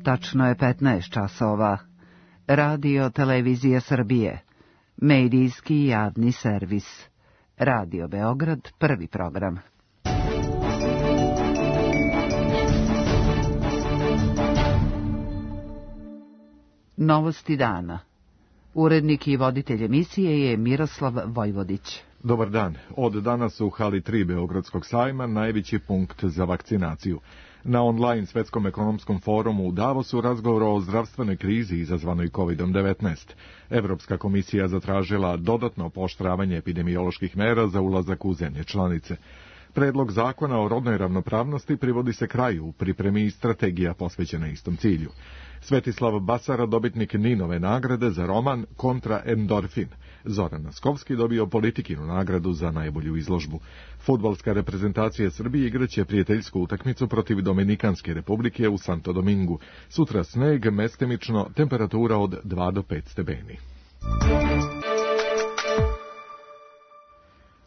Tačno je 15 časova. Radio Televizija Srbije. Medijski javni servis. Radio Beograd, prvi program. Novosti dana. Urednik i voditelj emisije je Miroslav Vojvodić. Dobar dan. Od danas u hali 3 Beogradskog sajma najveći punkt za vakcinaciju. Na online svetskom ekonomskom forumu u Davosu razgovor o zdravstvenoj krizi izazvanoj COVID-19. Evropska komisija zatražila dodatno pooštravanje epidemioloških mera za ulazak u zemlje članice. Predlog zakona o rodnoj ravnopravnosti privodi se kraju u pripremi i strategija posvećena istom cilju. Svetislav Basara, dobitnik Ninove nagrade za roman Kontra endorfin. Zoran Naskovski dobio Politikinu nagradu za najbolju izložbu. Fudbalska reprezentacija Srbije igraće prijateljsku utakmicu protiv Dominikanske republike u Santo Domingu. Sutra sneg, mestimično, temperatura od 2 do 5 stepeni.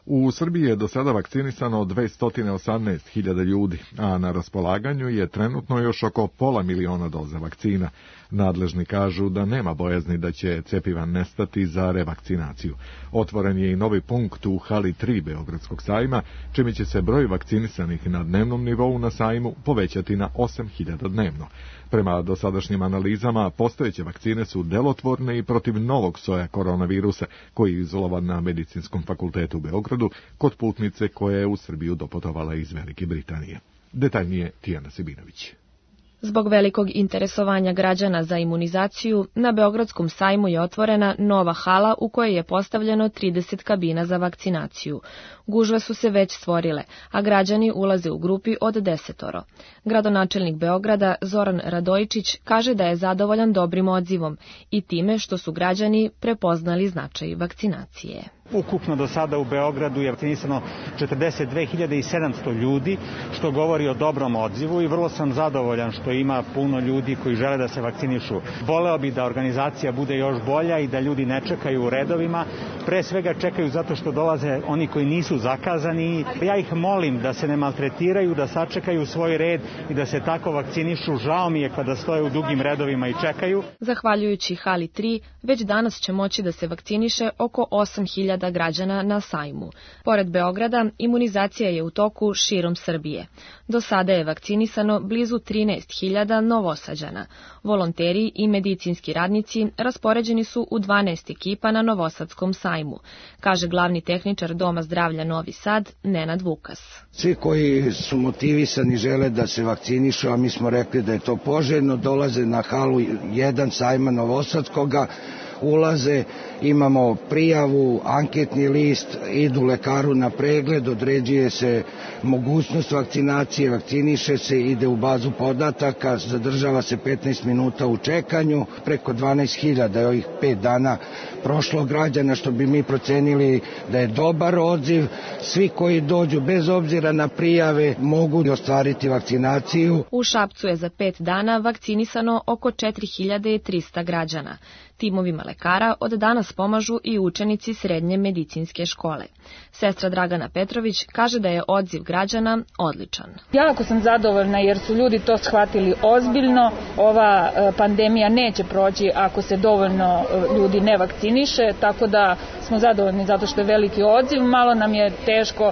U Srbiji je do sada vakcinisano 218.000 ljudi, a na raspolaganju je trenutno još oko 500.000 doza vakcina. Nadležni kažu da nema bojazni da će cjepiva nestati za revakcinaciju. Otvoren je i novi punkt u hali 3 Beogradskog sajma, čime će se broj vakcinisanih na dnevnom nivou na sajmu povećati na 8.000 dnevno. Prema dosadašnjim analizama, postojeće vakcine su delotvorne i protiv novog soja koronavirusa, koji je izolovan na Medicinskom fakultetu u Beogradu kod putnice koja je u Srbiju doputovala iz Velike Britanije. Detaljnije Tijana Sibinović. Zbog velikog interesovanja građana za imunizaciju, na Beogradskom sajmu je otvorena nova hala u kojoj je postavljeno 30 kabina za vakcinaciju. Gužve su se već stvorile, a građani ulaze u grupi od 10. Gradonačelnik Beograda Zoran Radojičić kaže da je zadovoljan dobrim odzivom i time što su građani prepoznali značaj vakcinacije. Ukupno do sada u Beogradu je vakcinisano 42.700 ljudi, što govori o dobrom odzivu i vrlo sam zadovoljan što ima puno ljudi koji žele da se vakcinišu. Voleo bi da organizacija bude još bolja i da ljudi ne čekaju u redovima. Pre svega čekaju zato što dolaze oni koji nisu zakazani. Ja ih molim da se ne maltretiraju, da sačekaju svoj red i da se tako vakcinišu. Žao mi je kada stoje u dugim redovima i čekaju. Zahvaljujući hali 3, već danas će moći da se vakciniše oko 8.000 građana na sajmu. Pored Beograda, imunizacija je u toku širom Srbije. Do sada je vakcinisano blizu 13.000 Novosađana. Volonteri i medicinski radnici raspoređeni su u 12 ekipa na Novosadskom sajmu, kaže glavni tehničar Doma zdravlja Novi Sad, Nenad Vukas. Svi koji su motivisani žele da se vakcinišu, a mi smo rekli da je to poželjno, dolaze na halu 1 sajma Novosadskoga, ulaze, imamo prijavu, anketni list, idu lekaru na pregled, određuje se mogućnost vakcinacije, vakciniše se, ide u bazu podataka, zadržava se 15 minuta u čekanju, preko 12.000 je ovih 5 dana prošlo građana, što bi mi procenili da je dobar odziv. Svi koji dođu bez obzira na prijave mogu ostvariti vakcinaciju. U Šapcu je za 5 dana vakcinisano oko 4.300 građana. Timovima lekara od danas pomažu i učenici srednje medicinske škole. Sestra Dragana Petrović kaže da je odziv građana odličan. Jako sam zadovoljna jer su ljudi to shvatili ozbiljno. Ova pandemija neće proći ako se dovoljno ljudi ne vakciniše, tako da smo zadovoljni zato što je veliki odziv. Malo nam je teško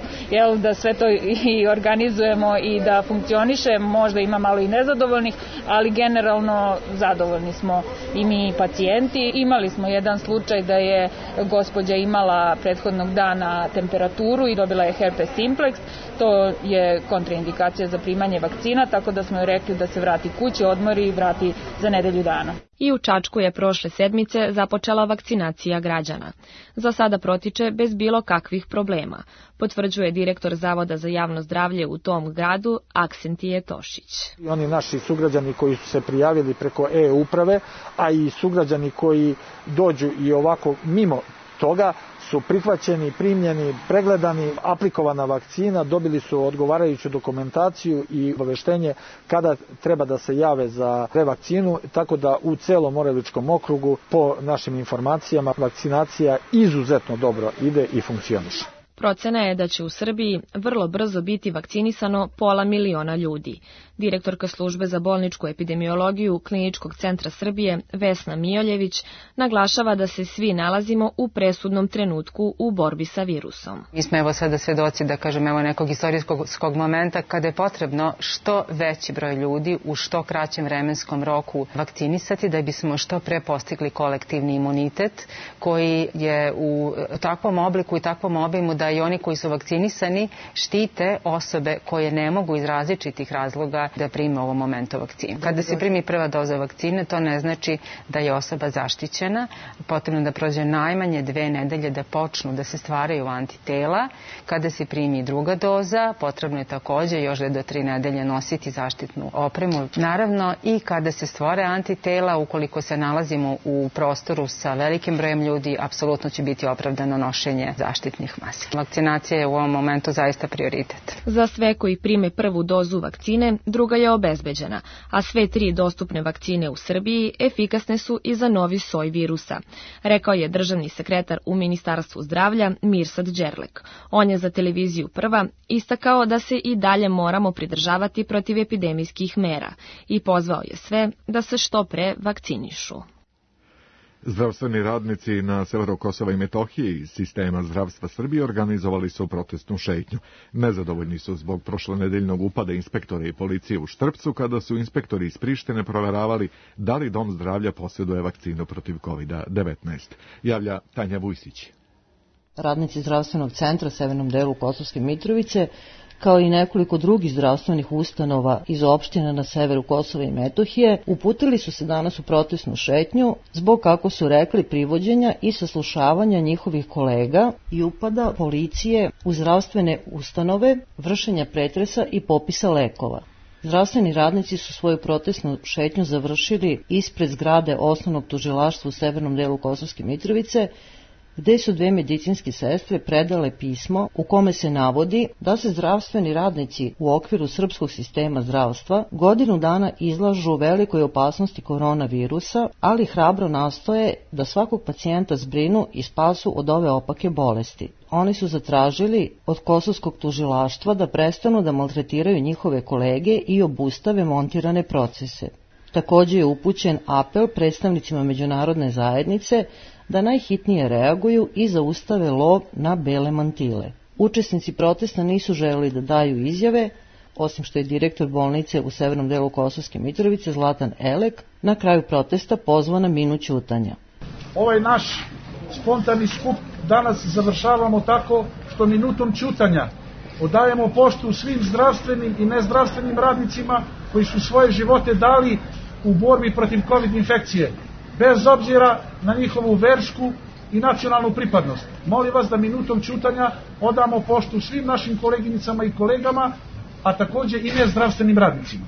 da sve to i organizujemo i da funkcioniše, možda ima malo i nezadovoljnih, ali generalno zadovoljni smo i mi pacijenti. Imali smo jedan slučaj da je gospođa imala prethodnog dana temperaturu i dobila je herpes simplex. To je kontraindikacija za primanje vakcina, tako da smo joj rekli da se vrati kući, odmori i vrati za nedelju dana. I u Čačku je prošle sedmice započela vakcinacija građana. Za sada protiče bez bilo kakvih problema, potvrđuje direktor Zavoda za javno zdravlje u tom gradu Aksentije Tošić. Oni naši sugrađani koji su se prijavili preko e-uprave, a i sugrađani koji dođu i ovako mimo toga, su prihvaćeni, primljeni, pregledani, aplikovana vakcina, dobili su odgovarajuću dokumentaciju i obaveštenje kada treba da se jave za revakcinu, tako da u celom Moravičkom okrugu po našim informacijama vakcinacija izuzetno dobro ide i funkcioniše. Procena je da će u Srbiji vrlo brzo biti vakcinisano 500.000 ljudi. Direktorka službe za bolničku epidemiologiju Kliničkog centra Srbije, Vesna Mijoljević, naglašava da se svi nalazimo u presudnom trenutku u borbi sa virusom. Mi smo evo sada svedoci, da kažem, evo nekog istorijskog momenta kada je potrebno što veći broj ljudi u što kraćem vremenskom roku vakcinisati da bismo što pre postigli kolektivni imunitet koji je u takvom obliku i takvom obimu da i oni koji su vakcinisani štite osobe koje ne mogu iz različitih razloga da prime u ovom momentu vakcinu. Kada se primi prva doza vakcine, to ne znači da je osoba zaštićena. Potrebno da prođe najmanje 2 nedelje da počnu da se stvaraju antitela. Kada se primi druga doza, potrebno je takođe još do 3 nedelje nositi zaštitnu opremu. Naravno, i kada se stvore antitela, ukoliko se nalazimo u prostoru sa velikim brojem ljudi, apsolutno će biti opravdano nošenje zaštitnih maski. Vakcinacija je u ovom momentu zaista prioritet. Za sve koji prime prvu dozu vakcine, druga je obezbeđena, a sve 3 dostupne vakcine u Srbiji efikasne su i za novi soj virusa, rekao je državni sekretar u Ministarstvu zdravlja Mirsad Đerlek. On je za televiziju Prva istakao da se i dalje moramo pridržavati protivepidemijskih mera i pozvao je sve da se što pre vakcinišu. Zdravstveni radnici na severu Kosova i Metohije iz sistema zdravstva Srbije organizovali su protestnu šetnju. Nezadovoljni su zbog prošlonedeljnog upada inspektora i policije u Štrpcu kada su inspektori iz Prištine proveravali da li dom zdravlja posjeduje vakcinu protiv COVID-19. Javlja Tanja Vujsić. Radnici zdravstvenog centra u severnom delu Kosovske Mitrovice kao i nekoliko drugih zdravstvenih ustanova iz opština na severu Kosova i Metohije, uputili su se danas u protestnu šetnju zbog, kako su rekli, privođenja i saslušavanja njihovih kolega i upada policije u zdravstvene ustanove, vršenja pretresa i popisa lekova. Zdravstveni radnici su svoju protestnu šetnju završili ispred zgrade osnovnog tužilaštva u severnom delu Kosovske Mitrovice, gde su 2 medicinske sestre predale pismo u kome se navodi da se zdravstveni radnici u okviru srpskog sistema zdravstva godinu dana izlažu velikoj opasnosti koronavirusa, ali hrabro nastoje da svakog pacijenta zbrinu i spasu od ove opake bolesti. Oni su zatražili od kosovskog tužilaštva da prestanu da maltretiraju njihove kolege i obustave montirane procese. Također je upućen apel predstavnicima međunarodne zajednice da najhitnije reaguju i zaustave lov na bele mantile. Učesnici protesta nisu želeli da daju izjave, osim što je direktor bolnice u severnom delu Kosovske Mitrovice Zlatan Elek na kraju protesta pozvao na minut ćutanja. Ovaj naš spontani skup danas završavamo tako što minutom ćutanja odajemo poštu svim zdravstvenim i nezdravstvenim radnicima koji su svoje živote dali u borbi protiv COVID infekcije, bez obzira na njihovu versku i nacionalnu pripadnost. Molim vas da minutom ćutanja odamo poštu svim našim koleginicama i kolegama, a također i nezdravstvenim radnicima.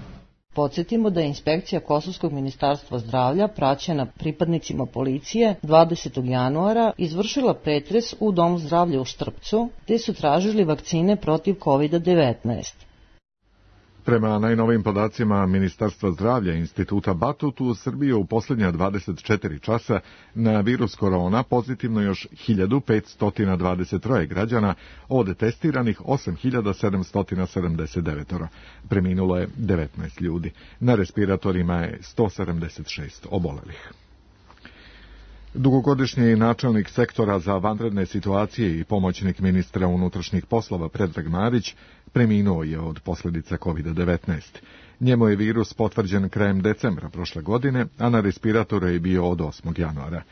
Podsjetimo da je inspekcija Kosovskog ministarstva zdravlja, praćena pripadnicima policije, 20. januara izvršila pretres u Domu zdravlja u Štrpcu, gde su tražili vakcine protiv COVID-19. Prema najnovim podacima Ministarstva zdravlja i Instituta Batut, u Srbiji u posljednja 24 časa na virus korona pozitivno još 1523 građana, od testiranih 8779. Preminulo je 19 ljudi. Na respiratorima je 176 obolelih. Dugogodišnji načelnik sektora za vanredne situacije i pomoćnik ministra unutrašnjih poslova Predrag Marić preminuo je od posljedica COVID-19. Njemu je virus potvrđen krajem decembra prošle godine, a na respiratoru je bio od 8. januara.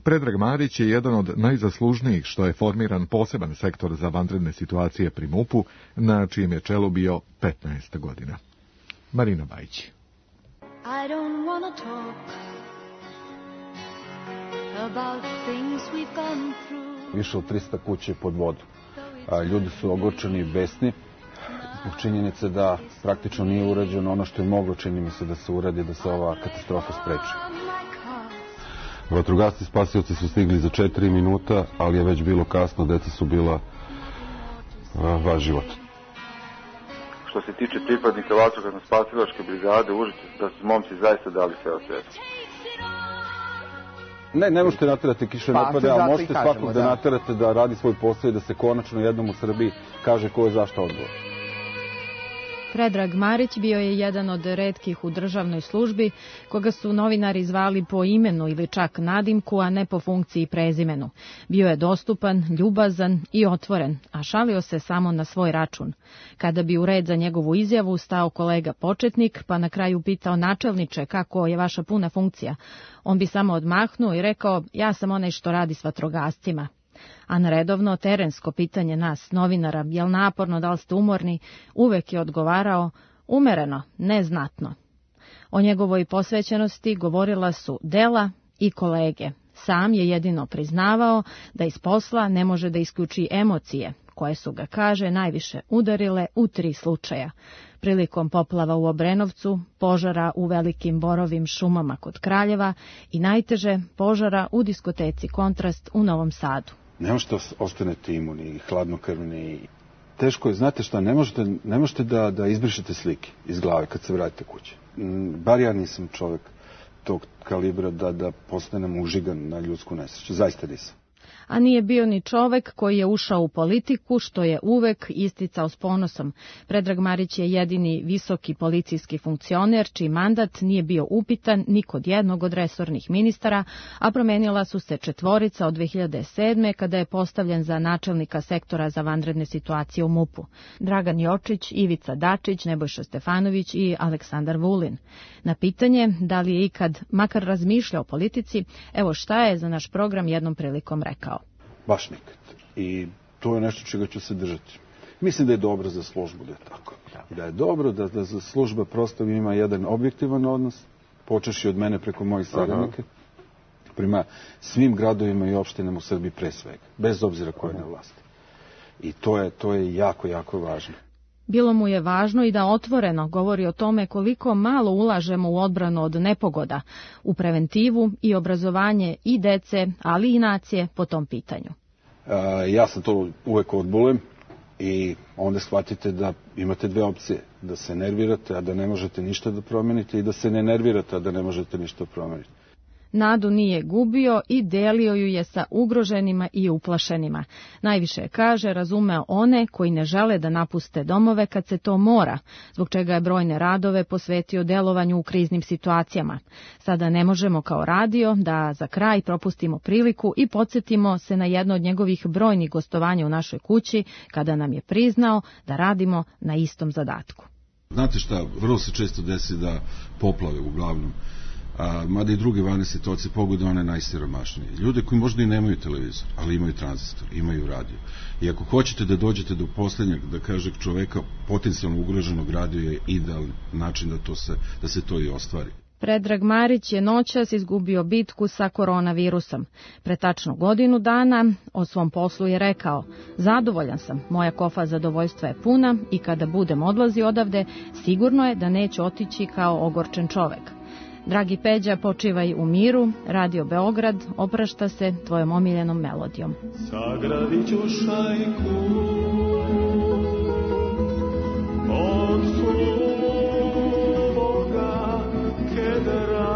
Predrag Marić je jedan od najzaslužnijih što je formiran poseban sektor za vanredne situacije pri MUP-u, na čijem je čelu bio 15 godina. Marina Bajić. I don't wanna talk about things we've gone through. Više od 300 kuće pod vodu. Ljudi su ogorčeni i besni zbog činjenice da praktično nije urađeno ono što je moglo, čini mi se, da se uradi, da se ova katastrofa spreči. Vatrogasci spasioci su stigli za 4 minuta, ali je već bilo kasno, deca su bila vaš život. Što se tiče pripadnika vatrogasno-spasilačke brigade, Užice, da su momci zaista dali sve od sebe. Ne možete naterati kiše napade, ali možete svakog da naterate da radi svoj posao i da se konačno jednom u Srbiji kaže ko je zašto odgovor. Predrag Marić bio je jedan od retkih u državnoj službi koga su novinari zvali po imenu ili čak nadimku, a ne po funkciji i prezimenu. Bio je dostupan, ljubazan i otvoren, a šalio se samo na svoj račun. Kada bi u red za njegovu izjavu stao kolega početnik, pa na kraju pitao načelniče kako je vaša puna funkcija, on bi samo odmahnuo i rekao ja sam onaj što radi s vatrogascima. A na redovno terensko pitanje nas, novinara, jel naporno, da li ste umorni, uvek je odgovarao umereno, neznatno. O njegovoj posvećenosti govorila su dela i kolege. Sam je jedino priznavao da iz posla ne može da isključi emocije, koje su ga, kaže, najviše udarile u 3 slučaja. Prilikom poplava u Obrenovcu, požara u velikim borovim šumama kod Kraljeva i najteže požara u diskoteci Kontrast u Novom Sadu. Ne možete ostanete imuni, hladnokrvni. Teško je, znate šta, ne možete da izbrišete slike iz glave kad se vratite kući. Bar ja nisam čovjek tog kalibra da postanem užigan na ljudsku nesreću. Zaista nisam. A nije bio ni čovek koji je ušao u politiku, što je uvek isticao s ponosom. Predrag Marić je jedini visoki policijski funkcioner, čiji mandat nije bio upitan ni kod jednog od resornih ministara, a promenila su se 4 od 2007. kada je postavljen za načelnika sektora za vanredne situacije u MUP-u. Dragan Jočić, Ivica Dačić, Nebojša Stefanović i Aleksandar Vulin. Na pitanje da li je ikad makar razmišljao o politici, evo šta je za naš program jednom prilikom rekao. Baš nikad. I to je nešto čega ću se držati. Mislim da je dobro za službu da je tako. Da je dobro da za služba prosto ima jedan objektivan odnos, počeši od mene preko mojih saradnika, prema svim gradovima i opštinama u Srbiji pre svega, bez obzira ko je na vlasti. I to je jako, jako važno. Bilo mu je važno i da otvoreno govori o tome koliko malo ulažemo u odbranu od nepogoda, u preventivu i obrazovanje i dece, ali i nacije po tom pitanju. Ja sam to uvek odbulem i onda shvatite da imate 2 opcije. Da se nervirate, a da ne možete ništa da promenite, i da se ne nervirate, a da ne možete ništa promeniti. Nadu nije gubio i delio ju je sa ugroženima i uplašenima. Najviše, kaže, razumeo one koji ne žele da napuste domove kad se to mora, zbog čega je brojne radove posvetio delovanju u kriznim situacijama. Sada ne možemo kao radio da za kraj propustimo priliku i podsjetimo se na jedno od njegovih brojnih gostovanja u našoj kući, kada nam je priznao da radimo na istom zadatku. Znate šta, vrlo se često desi da poplave uglavnom, mada i druge vanredne situacije pogode one najsiromašnije. Ljude koji možda i nemaju televizor, ali imaju tranzistor, imaju radio. I ako hoćete da dođete do posljednjeg, da kaže čoveka potencijalno ugroženog, radio je idealan način da se to i ostvari. Predrag Marić je noćas izgubio bitku sa koronavirusom. Pre tačno godinu dana o svom poslu je rekao: zadovoljan sam, moja kofa zadovoljstva je puna i kada budem odlazio odavde, sigurno je da neće otići kao ogorčen čovek. Dragi Peđa, počivaj u miru, Radio Beograd oprašta se tvojom omiljenom melodijom. Sagradit ću šajku od suvoga kedra,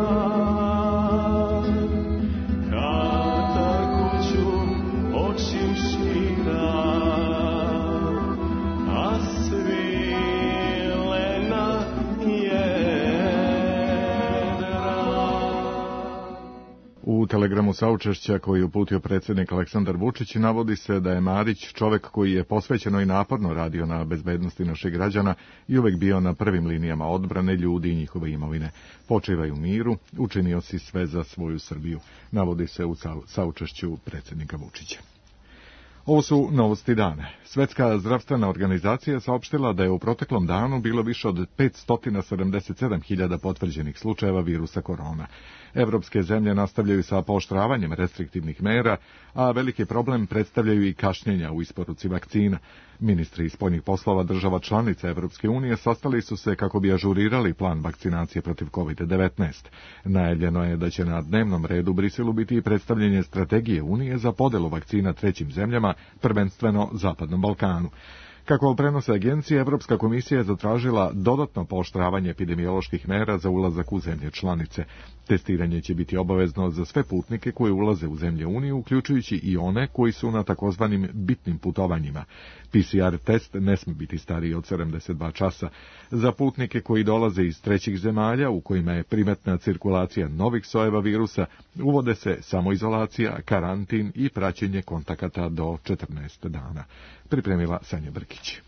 kada kuću očim šira, a svilena je. U telegramu saučešća koji je uputio predsjednik Aleksandar Vučić navodi se da je Marić čovjek koji je posvećeno i naporno radio na bezbednosti naših građana i uvek bio na prvim linijama odbrane ljudi i njihove imovine. Počivaj u miru, učinio si sve za svoju Srbiju, navodi se u saučešću predsjednika Vučića. Ovo su novosti dana. Svetska zdravstvena organizacija saopštila da je u proteklom danu bilo više od 577.000 potvrđenih slučajeva virusa korona. Evropske zemlje nastavljaju sa pooštravanjem restriktivnih mera, a veliki problem predstavljaju i kašnjenja u isporuci vakcina. Ministri spoljnih poslova država članica Evropske unije sastali su se kako bi ažurirali plan vakcinacije protiv COVID-19. Najavljeno je da će na dnevnom redu u Briselu biti i predstavljanje strategije Unije za podelu vakcina trećim zemljama, prvenstveno Zapadnom Balkanu. Kako prenose agencije, Evropska komisija je zatražila dodatno pooštravanje epidemioloških mera za ulazak u zemlje članice. Testiranje će biti obavezno za sve putnike koji ulaze u zemlje Unije, uključujući i one koji su na takozvanim bitnim putovanjima. PCR test ne sme biti stariji od 72 časa. Za putnike koji dolaze iz trećih zemalja u kojima je primetna cirkulacija novih sojeva virusa, uvode se samoizolacija, karantin i praćenje kontakata do 14 dana. Pripremila Sanja Brkić.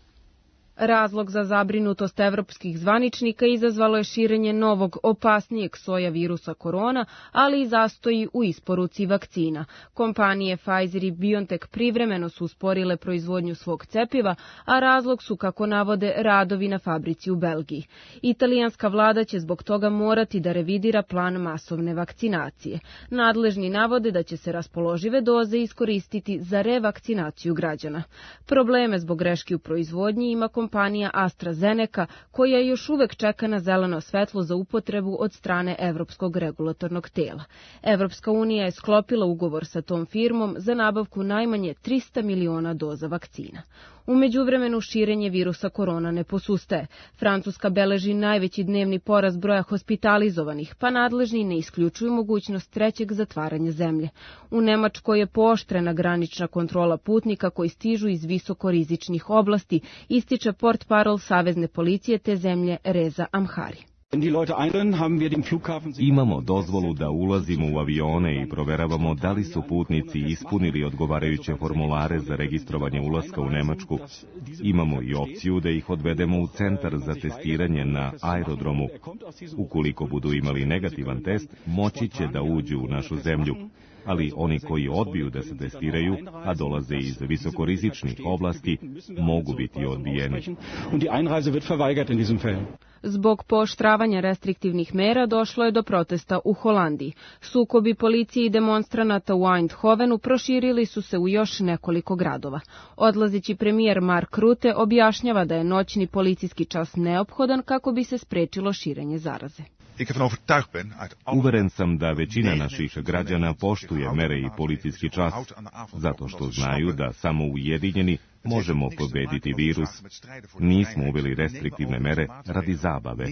Razlog za zabrinutost evropskih zvaničnika izazvalo je širenje novog, opasnijeg soja virusa korona, ali i zastoji u isporuci vakcina. Kompanije Pfizer i BioNTech privremeno su usporile proizvodnju svog cepiva, a razlog su, kako navode, radovi na fabrici u Belgiji. Italijanska vlada će zbog toga morati da revidira plan masovne vakcinacije. Nadležni navode da će se raspoložive doze iskoristiti za revakcinaciju građana. Probleme zbog greški u proizvodnji ima kompanija AstraZeneca, koja još uvek čeka na zeleno svetlo za upotrebu od strane Evropskog regulatornog tela. Evropska unija je sklopila ugovor sa tom firmom za nabavku najmanje 300 miliona doza vakcina. U međuvremenu širenje virusa korona ne posustaje. Francuska beleži najveći dnevni porast broja hospitalizovanih, pa nadležni ne isključuju mogućnost trećeg zatvaranja zemlje. U Nemačkoj je pooštrena granična kontrola putnika koji stižu iz visokorizičnih oblasti, ističe portparol Savezne policije te zemlje Reza Amhari. Imamo dozvolu da ulazimo u avione i proveravamo da li su putnici ispunili odgovarajuće formulare za registrovanje ulaska u Nemačku. Imamo i opciju da ih odvedemo u centar za testiranje na aerodromu. Ukoliko budu imali negativan test, moći će da uđu u našu zemlju. Ali oni koji odbiju da se testiraju, a dolaze iz visokorizičnih oblasti, mogu biti odbijeni. Zbog pooštravanja restriktivnih mera došlo je do protesta u Holandiji. Sukobi policije i demonstranata u Eindhovenu proširili su se u još nekoliko gradova. Odlazeći premijer Mark Rutte objašnjava da je noćni policijski čas neophodan kako bi se sprečilo širenje zaraze. Uveren sam da većina naših građana poštuje mere i policijski čas, zato što znaju da samo ujedinjeni možemo pobediti virus. Nismo uveli restriktivne mere radi zabave.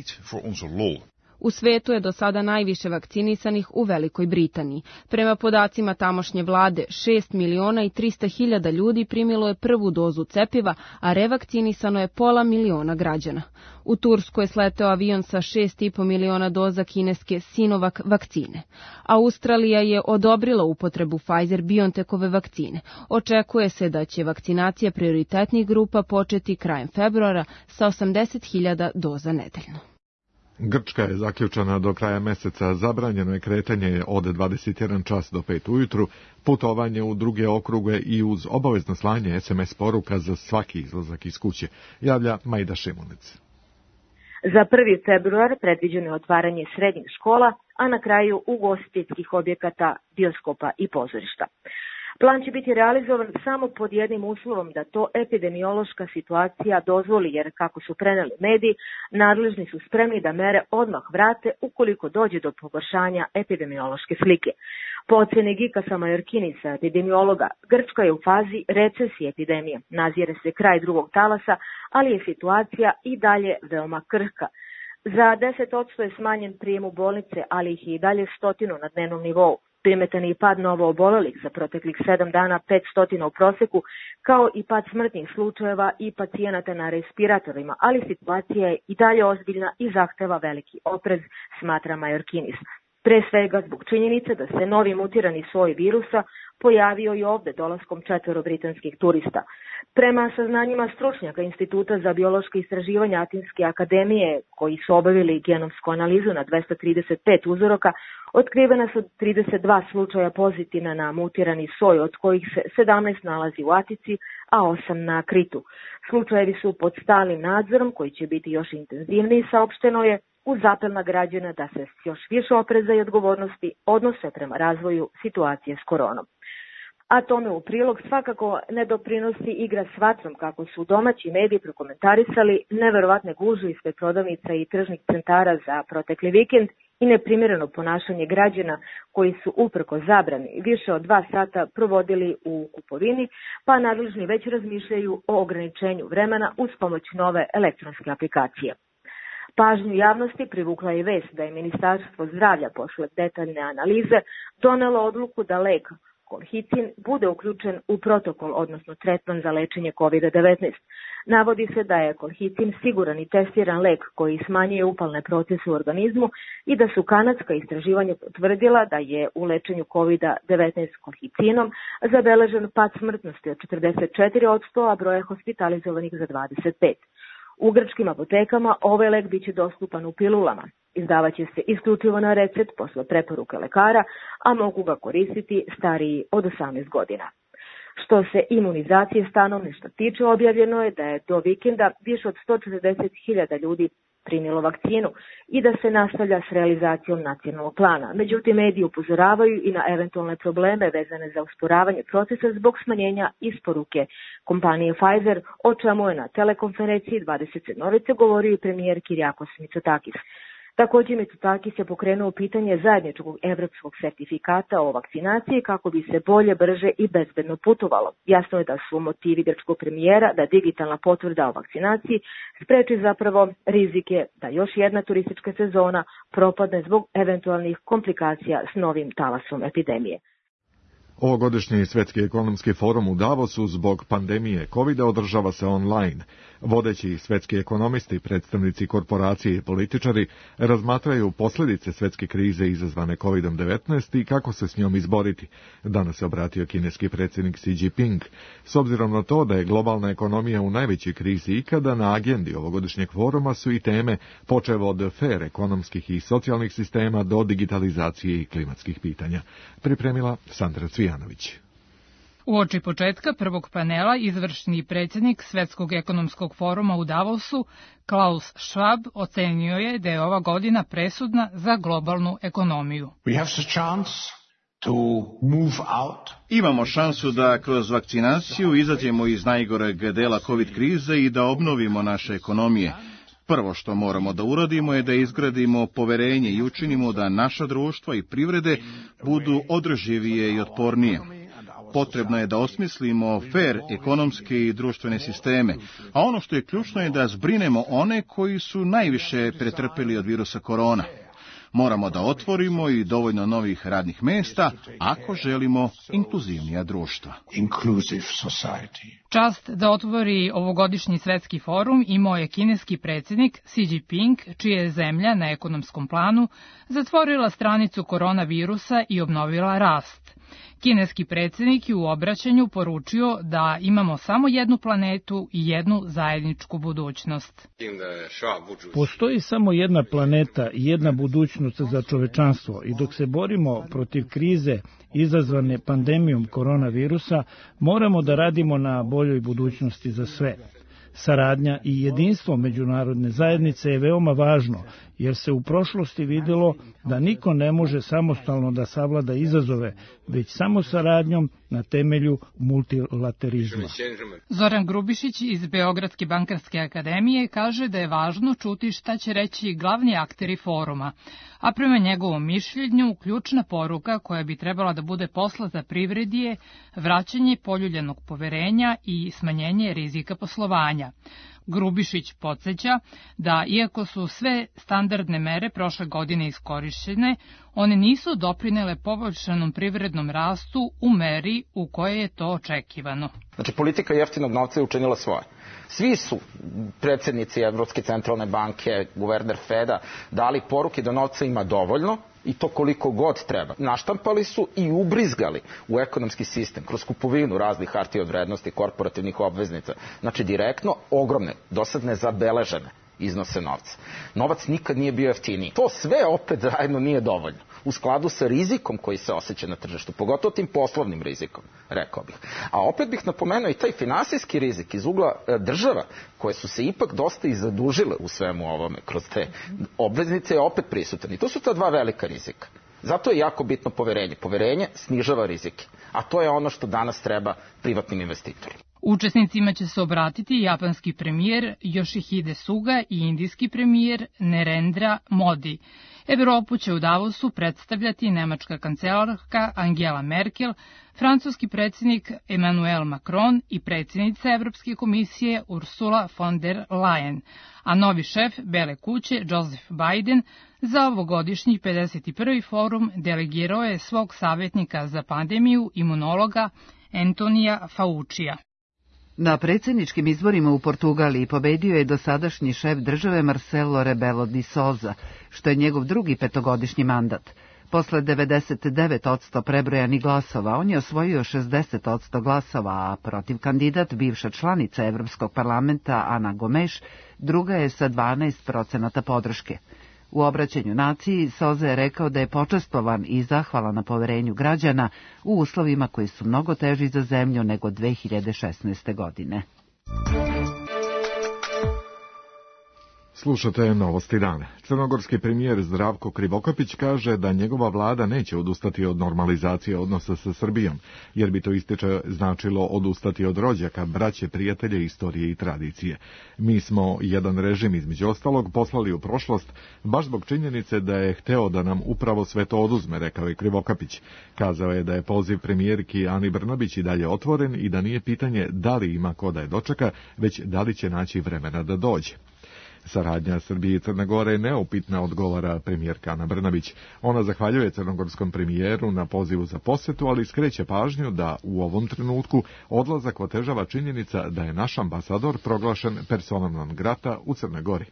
U svetu je do sada najviše vakcinisanih u Velikoj Britaniji. Prema podacima tamošnje vlade, 6 miliona i 300 hiljada ljudi primilo je prvu dozu cepiva, a revakcinisano je 500.000 građana. U Tursku je sleteo avion sa 6,5 miliona doza kineske Sinovac vakcine. Australija je odobrila upotrebu Pfizer-BioNTechove vakcine. Očekuje se da će vakcinacija prioritetnih grupa početi krajem februara sa 80.000 doza nedeljno. Grčka je zaključana do kraja meseca, zabranjeno je kretanje od 21 čas do 5 ujutru, putovanje u druge okruge i uz obavezno slanje SMS poruka za svaki izlazak iz kuće, javlja Majda Šimunic. Za 1. februar predviđeno je otvaranje srednjih škola, a na kraju ugostiteljskih objekata, bioskopa i pozorišta. Plan će biti realizovan samo pod jednim uslovom da to epidemiološka situacija dozvoli, jer kako su preneli mediji, nadležni su spremni da mere odmah vrate ukoliko dođe do pogoršanja epidemiološke slike. Po oceni Gikasa Majorkinisa, epidemiologa, Grčka je u fazi recesije epidemije. Nazire se kraj drugog talasa, ali je situacija i dalje veoma krhka. Za 10% je smanjen prijem u bolnice, ali ih je i dalje 100 na dnevnom nivou. Primetan je i pad novo obolelih za proteklih 7 dana 500 u proseku, kao i pad smrtnih slučajeva i pacijenata na respiratorima, ali situacija je i dalje ozbiljna i zahteva veliki oprez, smatra Majorkinis. Pre svega zbog činjenice da se novi mutirani soj virusa pojavio i ovde dolaskom 4 britanskih turista. Prema saznanjima stručnjaka Instituta za biološke istraživanja Atinske akademije, koji su obavili genomsku analizu na 235 uzoraka, otkrivena su 32 slučaja pozitivna na mutirani soj, od kojih se 17 nalazi u Atici, a 8 na Kritu. Slučajevi su pod stalnim nadzorom, koji će biti još intenzivniji, saopšteno je, uz apel na građana da se još više opreza i odgovornosti odnose prema razvoju situacije s koronom. A tome u prilog svakako ne doprinosi igra s vatrom, kako su domaći mediji prokomentarisali neverovatne gužve ispred prodavnica i tržnih centara za protekli vikend i neprimjereno ponašanje građana koji su uprko zabrani više od 2 sata provodili u kupovini, pa nadležni već razmišljaju o ograničenju vremena uz pomoć nove elektronske aplikacije. Pažnju javnosti privukla je vest da je Ministarstvo zdravlja posle detaljne analize donelo odluku da lek kolhicin bude uključen u protokol, odnosno tretman za lečenje COVID-19. Navodi se da je kolhicin siguran i testiran lek koji smanjuje upalne procese u organizmu i da su kanadska istraživanja potvrdila da je u lečenju COVID-19 kolhicinom zabeležen pad smrtnosti od 44%, a broja hospitalizovanih za 25%. U grčkim apotekama ovaj lek biće dostupan u pilulama. Izdavaće se isključivo na recept posle preporuke lekara, a mogu ga koristiti stariji od 18 godina. Što se imunizacije stanovništva tiče, objavljeno je da je do vikenda više od 140.000 ljudi primilo vakcinu i da se nastavlja s realizacijom nacionalnog plana. Međutim, mediji upozoravaju i na eventualne probleme vezane za usporavanje procesa zbog smanjenja isporuke kompanije Pfizer, o čemu je na telekonferenciji 27. govorio i premijer Kyriakos Mitsotakis. Također Mitsotakis je pokrenuo pitanje zajedničkog evropskog sertifikata o vakcinaciji kako bi se bolje, brže i bezbedno putovalo. Jasno je da su motivi grčkog premijera da digitalna potvrda o vakcinaciji spreči zapravo rizike da još jedna turistička sezona propadne zbog eventualnih komplikacija s novim talasom epidemije. Ovogodišnji Svetski ekonomski forum u Davosu zbog pandemije COVID-a održava se online. Vodeći svetski ekonomisti, predstavnici korporacije i političari razmatraju posljedice svetske krize izazvane COVID-19 i kako se s njom izboriti. Danas se obratio kineski predsjednik Xi Jinping. S obzirom na to da je globalna ekonomija u najvećoj krizi ikada, na agendi ovogodišnjeg foruma su i teme počev od fer ekonomskih i socijalnih sistema do digitalizacije i klimatskih pitanja. Pripremila Sandra Cvijanović. Uoči početka prvog panela izvršni predsjednik Svetskog ekonomskog foruma u Davosu, Klaus Schwab, ocenio je da je ova godina presudna za globalnu ekonomiju. Imamo šansu da kroz vakcinaciju izađemo iz najgoreg dela COVID krize i da obnovimo naše ekonomije. Prvo što moramo da uradimo je da izgradimo poverenje i učinimo da naša društva i privrede budu održivije i otpornije. Potrebno je da osmislimo fer ekonomske i društvene sisteme, a ono što je ključno je da zbrinemo one koji su najviše pretrpeli od virusa korona. Moramo da otvorimo i dovoljno novih radnih mesta ako želimo inkluzivnija društva. Čast da otvori ovogodišnji svetski forum imao je kineski predsjednik Xi Jinping, čija je zemlja na ekonomskom planu zatvorila stranicu koronavirusa i obnovila rast. Kineski predsjednik je u obraćanju poručio da imamo samo jednu planetu i jednu zajedničku budućnost. Postoji samo jedna planeta i jedna budućnost za čovečanstvo i dok se borimo protiv krize izazvane pandemijom koronavirusa, moramo da radimo na boljoj budućnosti za sve. Saradnja i jedinstvo međunarodne zajednice je veoma važno, jer se u prošlosti vidjelo da niko ne može samostalno da savlada izazove, već samo saradnjom na temelju multilaterizma. Zoran Grubišić iz Beogradske bankarske akademije kaže da je važno čuti šta će reći glavni akteri foruma, a prema njegovom mišljenju ključna poruka koja bi trebala da bude poslata privredi je vraćanje poljuljanog poverenja i smanjenje rizika poslovanja. Grubišić podsjeća da, iako su sve standardne mere prošle godine iskorišćene, one nisu doprinele poboljšanom privrednom rastu u meri u kojoj je to očekivano. Znači, politika jeftinog novca je učinila svoje. Svi su predsjednici Evropske centralne banke, guverner Feda, dali poruke da novca ima dovoljno i to koliko god treba. Naštampali su i ubrizgali u ekonomski sistem kroz kupovinu raznih hartija od vrednosti, korporativnih obveznica. Znači, direktno ogromne, dosad nezabeležene iznose novca. Novac nikad nije bio jeftiniji. To sve opet zajedno nije dovoljno. U skladu sa rizikom koji se osjeća na tržištu, pogotovo tim poslovnim rizikom, rekao bih. A opet bih napomenuo i taj finansijski rizik iz ugla država, koje su se ipak dosta i zadužile u svemu ovome kroz te obveznice, je opet prisutan. I to su ta dva velika rizika. Zato je jako bitno poverenje. Poverenje snižava rizike. A to je ono što danas treba privatnim investitorima. Učesnicima će se obratiti japanski premijer Yoshihide Suga i indijski premijer Narendra Modi. Evropu će u Davosu predstavljati nemačka kancelarka Angela Merkel, francuski predsjednik Emmanuel Macron i predsjednica Evropske komisije Ursula von der Leyen, a novi šef Bele kuće Joseph Biden za ovogodišnji 51. forum delegirao je svog savjetnika za pandemiju, imunologa Antonija Faucija. Na predsjedničkim izborima u Portugaliji pobedio je dosadašnji šef države Marcelo Rebelo de Sousa, što je njegov drugi petogodišnji mandat. Posle 99% prebrojanih glasova, on je osvojio 60% glasova, a protiv kandidat, bivša članica Evropskog parlamenta Ana Gomes, druga je sa 12% podrške. U obraćanju naciji Sousa je rekao da je počastvovan i zahvalan na poverenju građana u uslovima koji su mnogo teži za zemlju nego 2016. godine. Slušate Novosti dana. Crnogorski premijer Zdravko Krivokapić kaže da njegova vlada neće odustati od normalizacije odnosa sa Srbijom, jer bi to ističe značilo odustati od rođaka, braće, prijatelje, istorije i tradicije. Mi smo jedan režim između ostalog poslali u prošlost baš zbog činjenice da je hteo da nam upravo sve to oduzme, rekao je Krivokapić. Kazao je da je poziv premijerki Ani Brnabić i dalje otvoren i da nije pitanje da li ima ko da je dočeka, već da li će naći vremena da dođe. Saradnja Srbije i Crne Gore je neupitna, odgovara premijerka Ana Brnabić. Ona zahvaljuje crnogorskom premijeru na pozivu za posetu, ali skreće pažnju da u ovom trenutku odlazak otežava činjenica da je naš ambasador proglašen personom non grata u Crnoj Gori.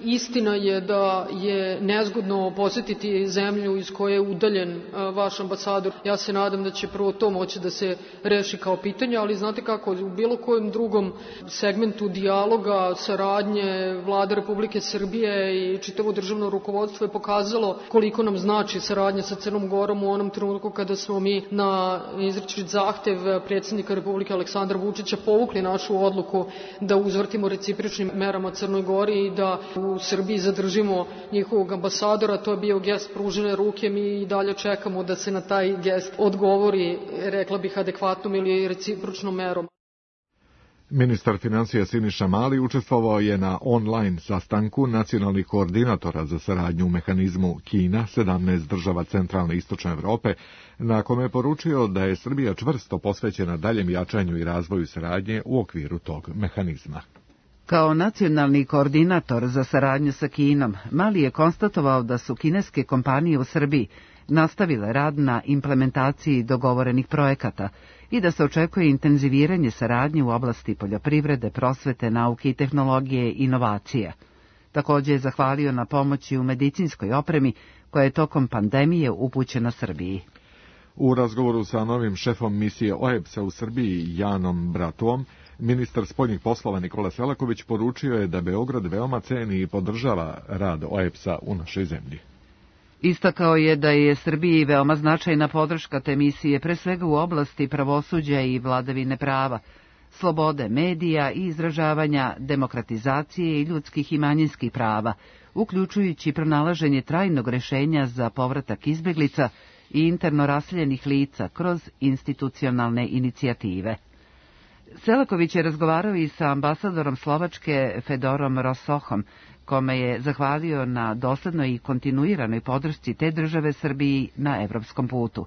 Istina je da je nezgodno posjetiti zemlju iz koje je udaljen vaš ambasador. Ja se nadam da će prvo to moći da se reši kao pitanje, ali znate kako, u bilo kojem drugom segmentu dijaloga, saradnje, Vlada Republike Srbije i čitavo državno rukovodstvo je pokazalo koliko nam znači saradnja sa Crnom Gorom u onom trenutku kada smo mi na izričit zahtev predsjednika Republike Aleksandra Vučića povukli našu odluku da uzvrtimo recipročnim merama Crnoj Gori i da u Srbiji zadržimo njihovog ambasadora. To je bio gest pružene ruke, mi i dalje čekamo da se na taj gest odgovori, rekla bih, adekvatnom ili recipročnom merom. Ministar financija Siniša Mali učestvovao je na online sastanku nacionalnih koordinatora za saradnju u mehanizmu Kina, 17 država centralne i istočne Evrope, na kome je poručio da je Srbija čvrsto posvećena daljem jačanju i razvoju saradnje u okviru tog mehanizma. Kao nacionalni koordinator za saradnju sa Kinom, Mali je konstatovao da su kineske kompanije u Srbiji nastavile rad na implementaciji dogovorenih projekata i da se očekuje intenziviranje saradnje u oblasti poljoprivrede, prosvete, nauke i tehnologije i inovacija. Također je zahvalio na pomoći u medicinskoj opremi koja je tokom pandemije upućena Srbiji. U razgovoru sa novim šefom misije OEBS-a u Srbiji, Janom Bratuom, ministar spoljnih poslova Nikola Selaković poručio je da Beograd veoma ceni i podržava rad OEBS-a u našoj zemlji. Istakao je da je Srbiji veoma značajna podrška te misije, pre svega u oblasti pravosuđa i vladavine prava, slobode medija i izražavanja, demokratizacije i ljudskih i manjinskih prava, uključujući pronalaženje trajnog rešenja za povratak izbeglica i interno raseljenih lica kroz institucionalne inicijative. Selaković je razgovarao i sa ambasadorom Slovačke Fedorom Rosohom, kome je zahvalio na doslednoj i kontinuiranoj podršci te države Srbiji na evropskom putu.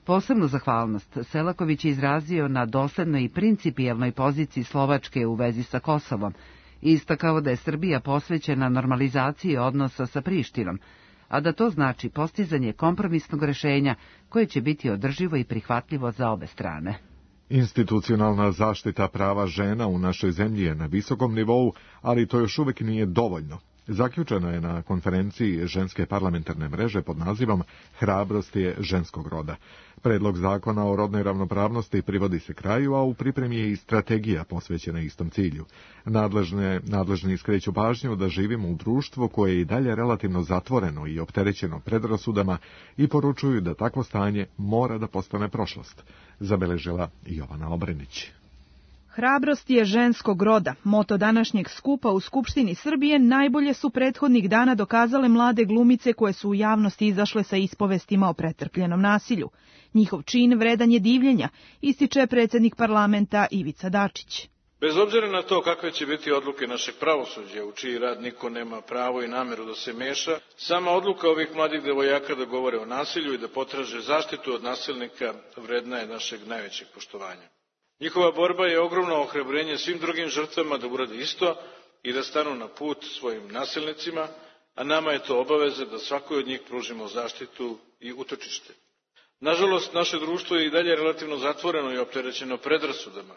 Posebnu zahvalnost Selaković je izrazio na doslednoj i principijelnoj poziciji Slovačke u vezi sa Kosovom i istakao da je Srbija posvećena normalizaciji odnosa sa Prištinom, a da to znači postizanje kompromisnog rešenja koje će biti održivo i prihvatljivo za obe strane. Institucionalna zaštita prava žena u našoj zemlji je na visokom nivou, ali to još uvijek nije dovoljno. Zaključeno je na konferenciji ženske parlamentarne mreže pod nazivom Hrabrost je ženskog roda. Predlog zakona o rodnoj ravnopravnosti privodi se kraju, a u pripremi je i strategija posvećena istom cilju. Nadležni skreću pažnju da živimo u društvu koje je i dalje relativno zatvoreno i opterećeno predrasudama i poručuju da takvo stanje mora da postane prošlost, zabeležila Jovana Obrenić. Hrabrost je ženskog roda. Moto današnjeg skupa u Skupštini Srbije najbolje su prethodnih dana dokazale mlade glumice koje su u javnosti izašle sa ispovestima o pretrpljenom nasilju. Njihov čin vredan je divljenja, ističe predsjednik parlamenta Ivica Dačić. Bez obzira na to kakve će biti odluke našeg pravosuđa, u čiji rad niko nema pravo i nameru da se meša, sama odluka ovih mladih devojaka da govore o nasilju i da potraže zaštitu od nasilnika vredna je našeg najvećeg poštovanja. Njihova borba je ogromno ohrabrenje svim drugim žrtvama da urade isto i da stanu na put svojim nasilnicima, a nama je to obaveza da svakoj od njih pružimo zaštitu i utočište. Nažalost, naše društvo je i dalje relativno zatvoreno i opterećeno predrasudama.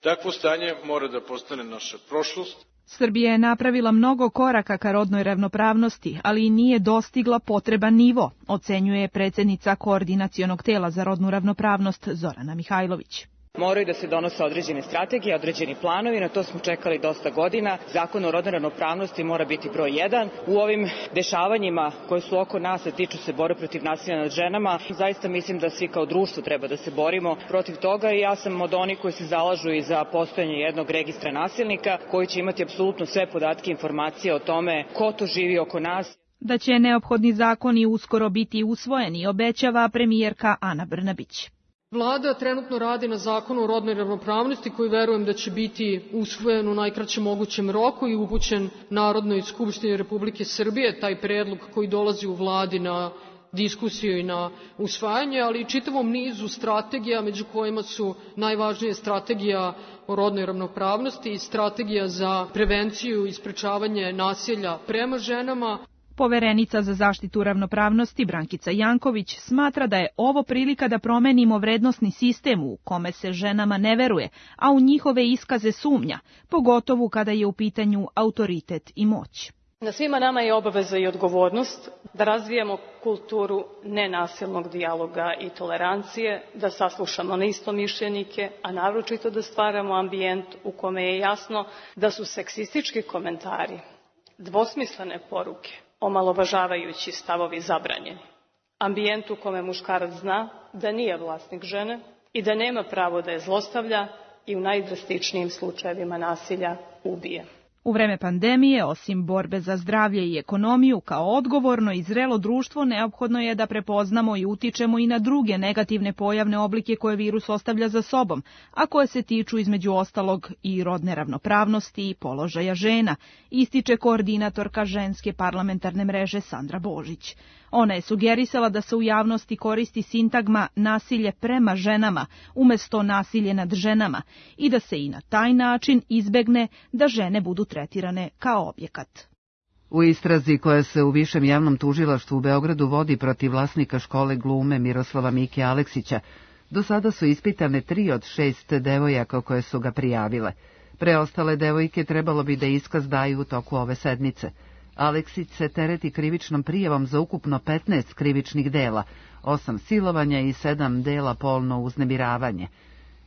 Takvo stanje mora da postane naša prošlost. Srbija je napravila mnogo koraka ka rodnoj ravnopravnosti, ali i nije dostigla potreban nivo, ocenjuje predsjednica Koordinacionog tela za rodnu ravnopravnost Zorana Mihajlović. Moraju da se donose određene strategije, određeni planovi, na to smo čekali dosta godina. Zakon o rodnoj ravnopravnosti mora biti broj 1. U ovim dešavanjima koje su oko nas, a tiču se borbe protiv nasilja nad ženama, zaista mislim da svi kao društvo treba da se borimo protiv toga i ja sam od onih koji se zalažu i za postojanje jednog registra nasilnika koji će imati apsolutno sve podatke i informacije o tome ko to živi oko nas. Da će neophodni zakoni uskoro biti usvojeni, obećava premijerka Ana Brnabić. Vlada trenutno radi na zakonu o rodnoj ravnopravnosti koji verujem da će biti usvojen u najkraćem mogućem roku i upućen Narodnoj skupštini Republike Srbije, taj predlog koji dolazi u Vladi na diskusiju i na usvajanje, ali i čitavom nizu strategija, među kojima su najvažnije strategija o rodnoj ravnopravnosti i strategija za prevenciju i sprečavanje nasilja prema ženama. Poverenica za zaštitu ravnopravnosti Brankica Janković smatra da je ovo prilika da promenimo vrednosni sistem u kome se ženama ne veruje, a u njihove iskaze sumnja, pogotovo kada je u pitanju autoritet i moć. Na svima nama je obaveza i odgovornost da razvijamo kulturu nenasilnog dijaloga i tolerancije, da saslušamo neistomišljenike, a naročito da stvaramo ambijent u kome je jasno da su seksistički komentari, dvosmislene poruke, omalovažavajući stavovi zabranjeni. Ambijent u kome muškarac zna da nije vlasnik žene i da nema pravo da je zlostavlja i u najdrastičnijim slučajevima nasilja ubije. U vreme pandemije, osim borbe za zdravlje i ekonomiju, kao odgovorno i zrelo društvo, neophodno je da prepoznamo i utičemo i na druge negativne pojavne oblike koje virus ostavlja za sobom, a koje se tiču između ostalog i rodne ravnopravnosti i položaja žena, ističe koordinatorka ženske parlamentarne mreže Sandra Božić. Ona je sugerisala da se u javnosti koristi sintagma nasilje prema ženama umjesto nasilje nad ženama i da se i na taj način izbegne da žene budu tretirane kao objekat. U istrazi koja se u Višem javnom tužilaštvu u Beogradu vodi protiv vlasnika škole glume Miroslava Mike Aleksića, do sada su ispitane 3 od 6 devojaka koje su ga prijavile. Preostale devojke trebalo bi da iskaz daju u toku ove sedmice. Aleksić se tereti krivičnom prijavom za ukupno 15 krivičnih dela, 8 silovanja i 7 dela polno uznemiravanje.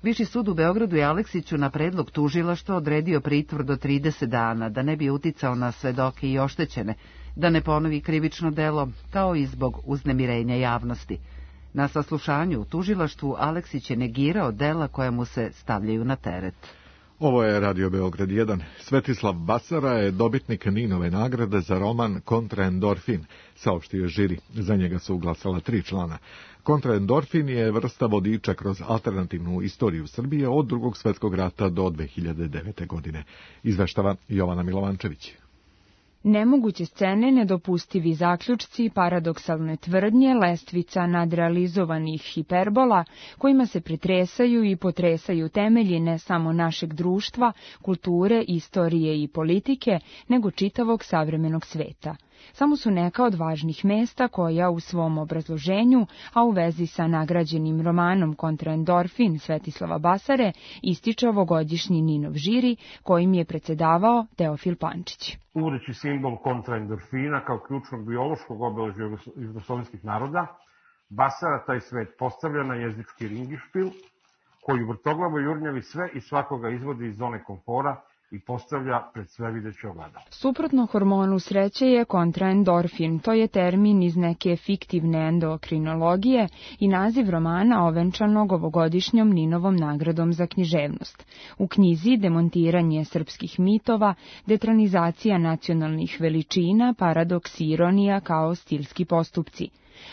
Viši sud u Beogradu je Aleksiću na predlog tužilaštva odredio pritvor do 30 dana, da ne bi uticao na svedoke i oštećene, da ne ponovi krivično delo, kao i zbog uznemirenja javnosti. Na saslušanju u tužilaštvu Aleksić je negirao dela koja mu se stavljaju na teret. Ovo je Radio Beograd 1. Svetislav Basara je dobitnik Ninove nagrade za roman Kontraendorfin, saopštio žiri. Za njega su glasala 3 člana. Kontraendorfin je vrsta vodiča kroz alternativnu istoriju Srbije od Drugog svjetskog rata do 2009. godine. Izveštava Jovana Milovančević. Nemoguće scene, nedopustivi zaključci, paradoksalne tvrdnje, lestvica nadrealizovanih hiperbola, kojima se pretresaju i potresaju temelji ne samo našeg društva, kulture, istorije i politike, nego čitavog savremenog sveta. Samo su neka od važnih mesta koja u svom obrazloženju, a u vezi sa nagrađenim romanom Kontraendorfin Svetislava Basare, ističe ovogodišnji Ninov žiri, kojim je predsedavao Teofil Pančić. Uvodeći simbol kontraendorfina kao ključnog biološkog obeležja jugoslovenskih naroda, Basara taj svet postavlja na jezički ringišpil, koji vrtoglavo jurnjavi sve i svakoga izvodi iz zone komfora i postavlja pred svevideće ogledalo. Suprotno hormonu sreće je kontraendorfin, to je termin iz neke fiktivne endokrinologije i naziv romana ovenčanog ovogodišnjom Ninovom nagradom za književnost. U knjizi demontiranje srpskih mitova, detronizacija nacionalnih veličina, paradoks i ironija kao stilski postupci.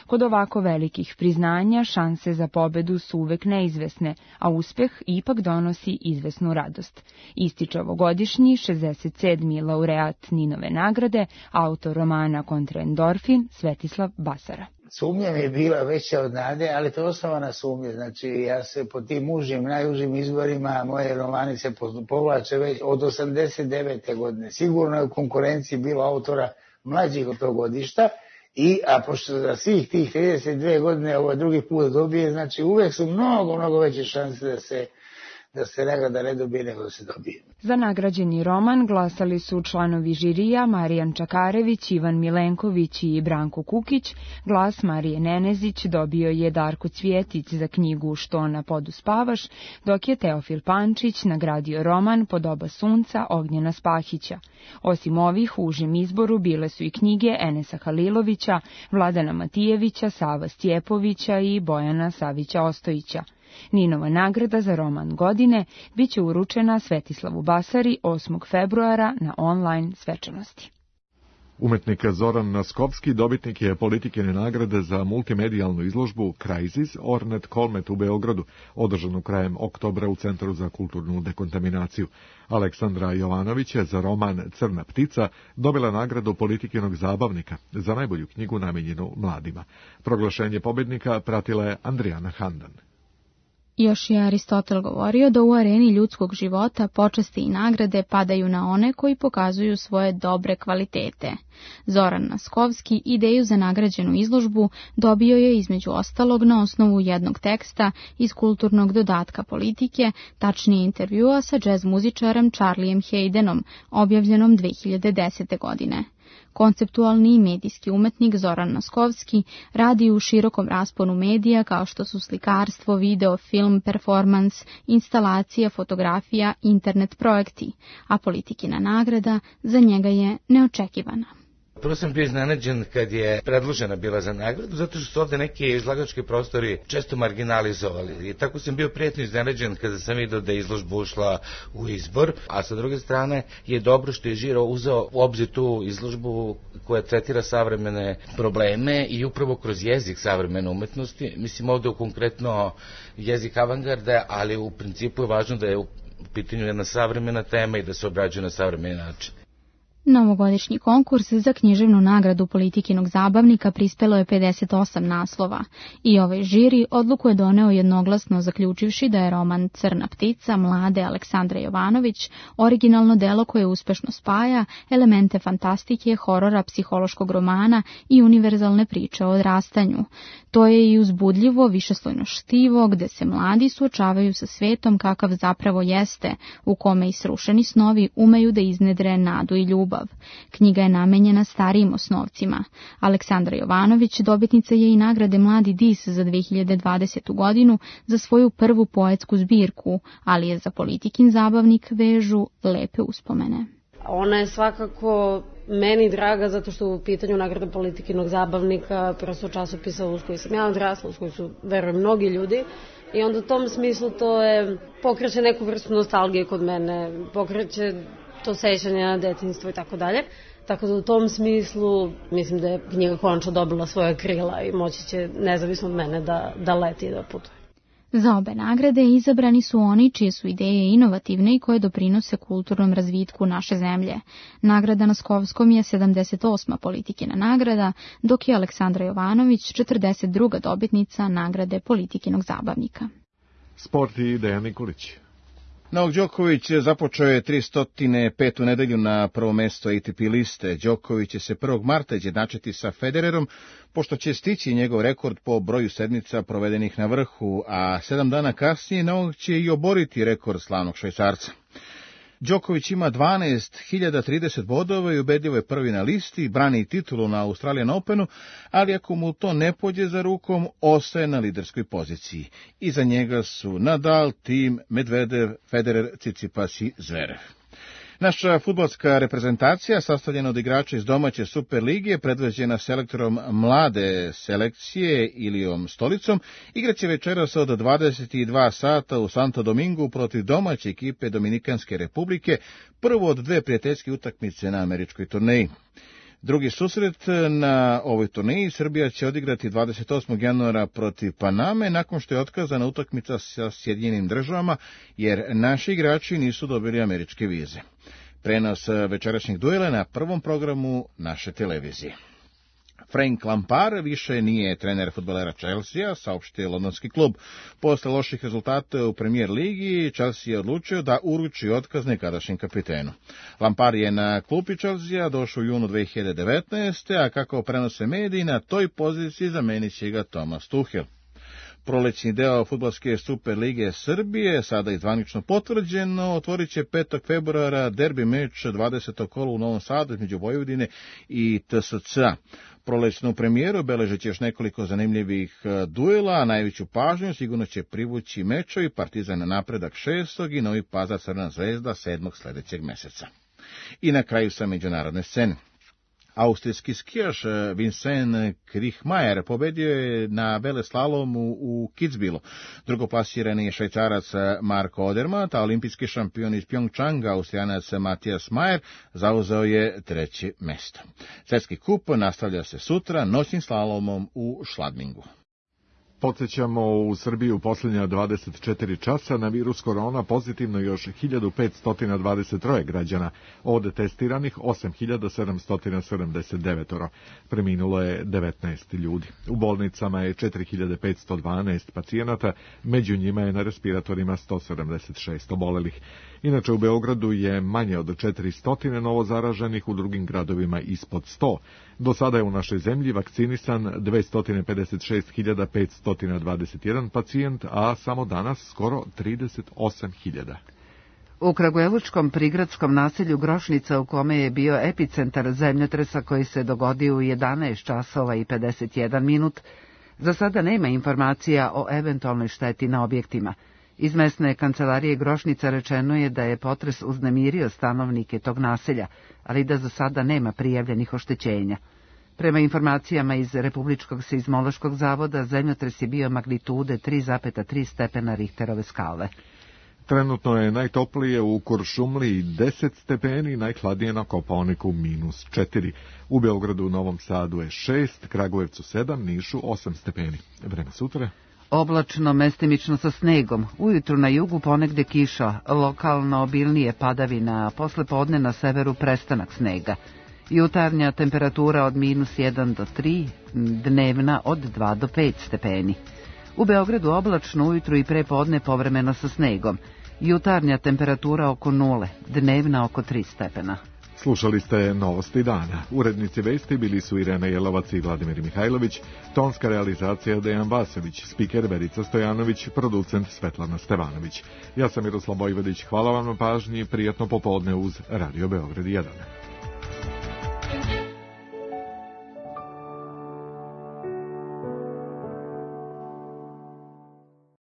Kod ovako velikih priznanja šanse za pobedu su uvek neizvesne, a uspeh ipak donosi izvesnu radost. Ističe ovogodišnji 67. laureat Ninove nagrade, autor romana Kontraendorfin, Svetislav Basara. Sumnja mi je bila veća od nade, ali to je osnovana sumnja. Znači, ja se po tim najužim izborima, moje romani se povlače već od 89. godine. Sigurno je u konkurenciji bilo autora mlađih od tog godišta, a pošto za svih tih 32 godine ovo drugi put dobije, znači uvek su mnogo veće šanse da se nagrada ne dobije nego da se dobije. Za nagrađeni roman glasali su članovi žirija Marijan Čakarević, Ivan Milenković i Branko Kukić. Glas Marije Nenezić dobio je Darko Cvjetić za knjigu Što na podu spavaš, dok je Teofil Pančić nagradio roman Pod oba sunca Ognjena Spahića. Osim ovih, u užem izboru bile su i knjige Enesa Halilovića, Vladana Matijevića, Sava Stjepovića i Bojana Savića Ostojića. Ninova nagrada za roman godine biće uručena Svetislavu Basari 8. februara na online svečanosti. Umetnik Zoran Naskovski dobitnik je Politikine nagrade za multimedijalnu izložbu Crisis Ornet Kolmet u Beogradu, održanu krajem oktobra u Centru za kulturnu dekontaminaciju. Aleksandra Jovanović je za roman Crna ptica dobila nagradu Politikinog zabavnika za najbolju knjigu namenjenu mladima. Proglašenje pobednika pratila je Andrijana Handan. Još je Aristotel govorio da u areni ljudskog života počasti i nagrade padaju na one koji pokazuju svoje dobre kvalitete. Zoran Naskovski ideju za nagrađenu izložbu dobio je između ostalog na osnovu jednog teksta iz kulturnog dodatka Politike, tačnije intervjua sa džez muzičarem Charlijem Haydenom, objavljenom 2010. godine. Konceptualni i medijski umetnik Zoran Naskovski radi u širokom rasponu medija kao što su slikarstvo, video, film, performans, instalacija, fotografija, internet projekti, a Politikina nagrada za njega je neočekivana. Prvo sam bio iznenađen kad je predložena bila za nagradu, zato što su ovde neki izlagački prostori često marginalizovali. I tako sam bio prijatno iznenađen kada sam vidio da je izložba ušla u izbor, a sa druge strane je dobro što je žiro uzeo u obzir tu izložbu koja tretira savremene probleme i upravo kroz jezik savremene umetnosti. Mislim ovde konkretno jezik avangarde, ali u principu je važno da je u pitanju jedna savremena tema i da se obrađuje na savremeni način. Novogodišnji konkurs za književnu nagradu Politikinog zabavnika prispelo je 58 naslova i ovaj žiri odluku je doneo jednoglasno zaključivši da je roman Crna ptica mlade Aleksandre Jovanović originalno delo koje uspešno spaja elemente fantastike, horora, psihološkog romana i univerzalne priče o odrastanju. To je i uzbudljivo, višeslojno štivo, gde se mladi suočavaju sa svetom kakav zapravo jeste, u kome i srušeni snovi umeju da iznedre nadu i ljubav. Knjiga je namenjena starijim osnovcima. Aleksandra Jovanović dobitnica je i nagrade Mladi dis za 2020. godinu za svoju prvu poetsku zbirku, ali je za Politikin zabavnik vežu lepe uspomene. Ona je svakako meni draga zato što u pitanju nagrada Politikinog zabavnika, prosto časopisa uz koji sam ja odrasla, uz koji su, verujem, mnogi ljudi. I onda u tom smislu to je pokreće neku vrstu nostalgije kod mene, pokreće to sećanje na detinjstvo i tako dalje. Tako da u tom smislu mislim da je knjiga konačno dobila svoje krila i moći će nezavisno od mene da leti i da putuje. Za obe nagrade izabrani su oni čije su ideje inovativne i koje doprinose kulturnom razvitku naše zemlje. Nagrada Naskovskom je 78. Politikina nagrada, dok je Aleksandra Jovanović 42. dobitnica nagrade Politikinog zabavnika. Sport i Dejan Nikolić. Novak Đoković započeo je 305. nedelju na prvo mesto ATP liste. Đoković će se 1. marta izjednačiti sa Federerom, pošto će stići njegov rekord po broju sedmica provedenih na vrhu, a 7 dana kasnije Novak će i oboriti rekord slavnog Švajcarca. Đoković ima 12.030 bodova i ubedljivo je prvi na listi, brani titulu na Australian Openu, ali ako mu to ne pođe za rukom, ostaje na liderskoj poziciji. Iza njega su Nadal, Thiem, Medvedev, Federer, Tsitsipas i Zverev. Naša fudbalska reprezentacija, sastavljena od igrača iz domaće Super lige, predvođena selektorom mlade selekcije Ilijom Stolicom, igraće večeras od 22 sata u Santo Domingu protiv domaće ekipe Dominikanske republike, prvo od dve prijateljske utakmice na američkoj turneji. Drugi susret na ovoj turneji Srbija će odigrati 28. januara protiv Paname, nakon što je otkazana utakmica sa Sjedinjenim Državama, jer naši igrači nisu dobili američke vize. Prenos večerašnjeg duela na prvom programu naše televizije. Frank Lampard više nije trener fudbalera Chelsea, saopštio londonski klub. Posle loših rezultata u Premier ligi, Chelsea je odlučio da uruči otkaz nekadašnjem kapitenu. Lampard je na klupi Chelsea došao u junu 2019. a kako prenose mediji, na toj poziciji zamenit će ga Thomas Tuchel. Prolećni deo fudbalske Super lige Srbije, sada i zvanično potvrđeno, otvorit će 5. februara derbi meč 20. kola u Novom Sadu između Vojvodine i TSC-a. Prolećnu premijeru beležeći još nekoliko zanimljivih duela, a najveću pažnju sigurno će privući mečovi Partizan Napredak 6. i Novi Pazar Crvena Zvezda 7. sledećeg meseca. I na kraju sa međunarodne scene. Austrijski skijaš Vincent Kriechmayr pobedio je na veleslalomu u Kitzbühelu. Drugoplasirani je Švajcarac Marko Odermatt, a olimpijski šampion iz Pjongčanga, Austrijanac Matijas Majer, zauzeo je 3. mesto. Svetski kup nastavlja se sutra noćnim slalomom u Šladmingu. Podsjećamo, u Srbiji u posljednja 24 časa na virus korona pozitivno još 1523 građana, od testiranih 8779. Preminulo je 19 ljudi. U bolnicama je 4512 pacijenata, među njima je na respiratorima 176 obolelih. Inače, u Beogradu je manje od 400 novo zaraženih, u drugim gradovima ispod 100. Do sada je u našoj zemlji vakcinisan 256.521 pacijent, a samo danas skoro 38.000. U kragujevačkom prigradskom naselju Grošnica, u kome je bio epicentar zemljotresa koji se dogodio u 11 časova i 51 minut, za sada nema informacija o eventualnoj šteti na objektima. Iz mesne kancelarije Grošnica rečeno je da je potres uznemirio stanovnike tog naselja, ali da za sada nema prijavljenih oštećenja. Prema informacijama iz Republičkog seizmološkog zavoda, zemljotres je bio magnitude 3,3 stepena Richterove skale. Trenutno je najtoplije u Kuršumliji 10 stepeni, najhladnije na Kopaoniku -4. U Beogradu, Novom Sadu je 6, Kragujevcu 7, Nišu 8 stepeni. Vreme sutra? Oblačno, mestimično sa snegom. Ujutru na jugu ponegde kiša, lokalno obilnije padavina, a posle podne na severu prestanak snega. Jutarnja temperatura od -1 do 3, dnevna od 2 do 5 stepeni. U Beogradu oblačno, ujutru i pre podne povremeno sa snegom. Jutarnja temperatura oko 0, dnevna oko 3 stepena. Slušali ste Novosti dana. Urednici vesti bili su Irena Jelovac i Vladimir Mihajlović, tonska realizacija Dejan Vasović, spiker Verica Stojanović, producent Svetlana Stevanović. Ja sam Miroslav Bojvodić, hvala vam na pažnji, prijatno popodne uz Radio Beograd 1.